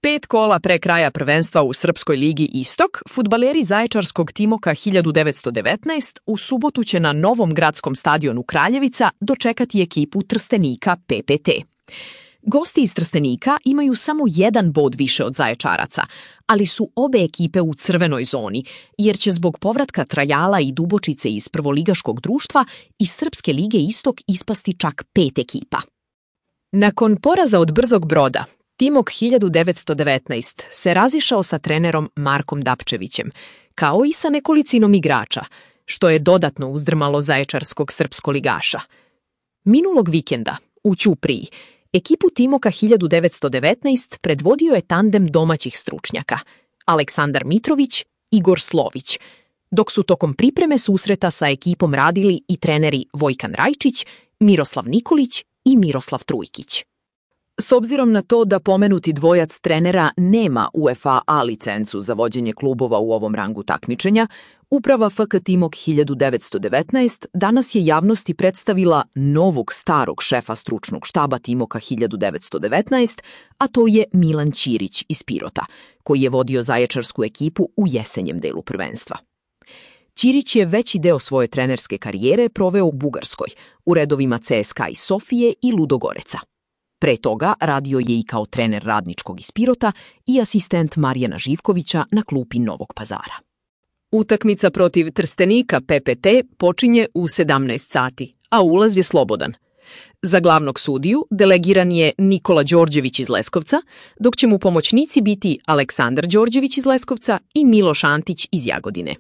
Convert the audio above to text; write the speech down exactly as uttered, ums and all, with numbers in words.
Pet kola pre kraja prvenstva u Srpskoj ligi Istok, fudbaleri zaječarskog Timoka hiljadu devetsto devetnaest u subotu će na novom gradskom stadionu Kraljevica dočekati ekipu Trstenika P P T. Gosti iz Trstenika imaju samo jedan bod više od Zaječaraca, ali su obe ekipe u crvenoj zoni, jer će zbog povratka Trajala i Dubočice iz prvoligaškog društva iz Srpske lige Istok ispasti čak pet ekipa. Nakon poraza od Brzog Broda, Timok hiljadu devetsto devetnaest se razišao sa trenerom Markom Dapčevićem, kao i sa nekolicinom igrača, što je dodatno uzdrmalo zaječarskog srpskoligaša. Minulog vikenda, u Ćupriji, ekipu Timoka hiljadu devetsto devetnaest predvodio je tandem domaćih stručnjaka, Aleksandar Mitrović, Igor Slović, dok su tokom pripreme susreta sa ekipom radili i treneri Vojkan Rajčić, Miroslav Nikolić i Miroslav Trujkić. S obzirom na to da pomenuti dvojac trenera nema UEFA A licencu za vođenje klubova u ovom rangu takmičenja, uprava F K Timok hiljadu devetsto devetnaest danas je javnosti predstavila novog starog šefa stručnog štaba Timoka hiljadu devetsto devetnaest, a to je Milan Ćirić iz Pirota, koji je vodio zaječarsku ekipu u jesenjem delu prvenstva. Ćirić je veći deo svoje trenerske karijere proveo u Bugarskoj, u redovima C S K A iz Sofije i Ludogoreca. Pre toga radio je i kao trener Radničkog iz Pirota i asistent Marijana Živkovića na klupi Novog Pazara. Utakmica protiv Trstenika P P T počinje u sedamnaest sati, a ulaz je slobodan. Za glavnog sudiju delegiran je Nikola Đorđević iz Leskovca, dok će mu pomoćnici biti Aleksandar Đorđević iz Leskovca i Miloš Antić iz Jagodine.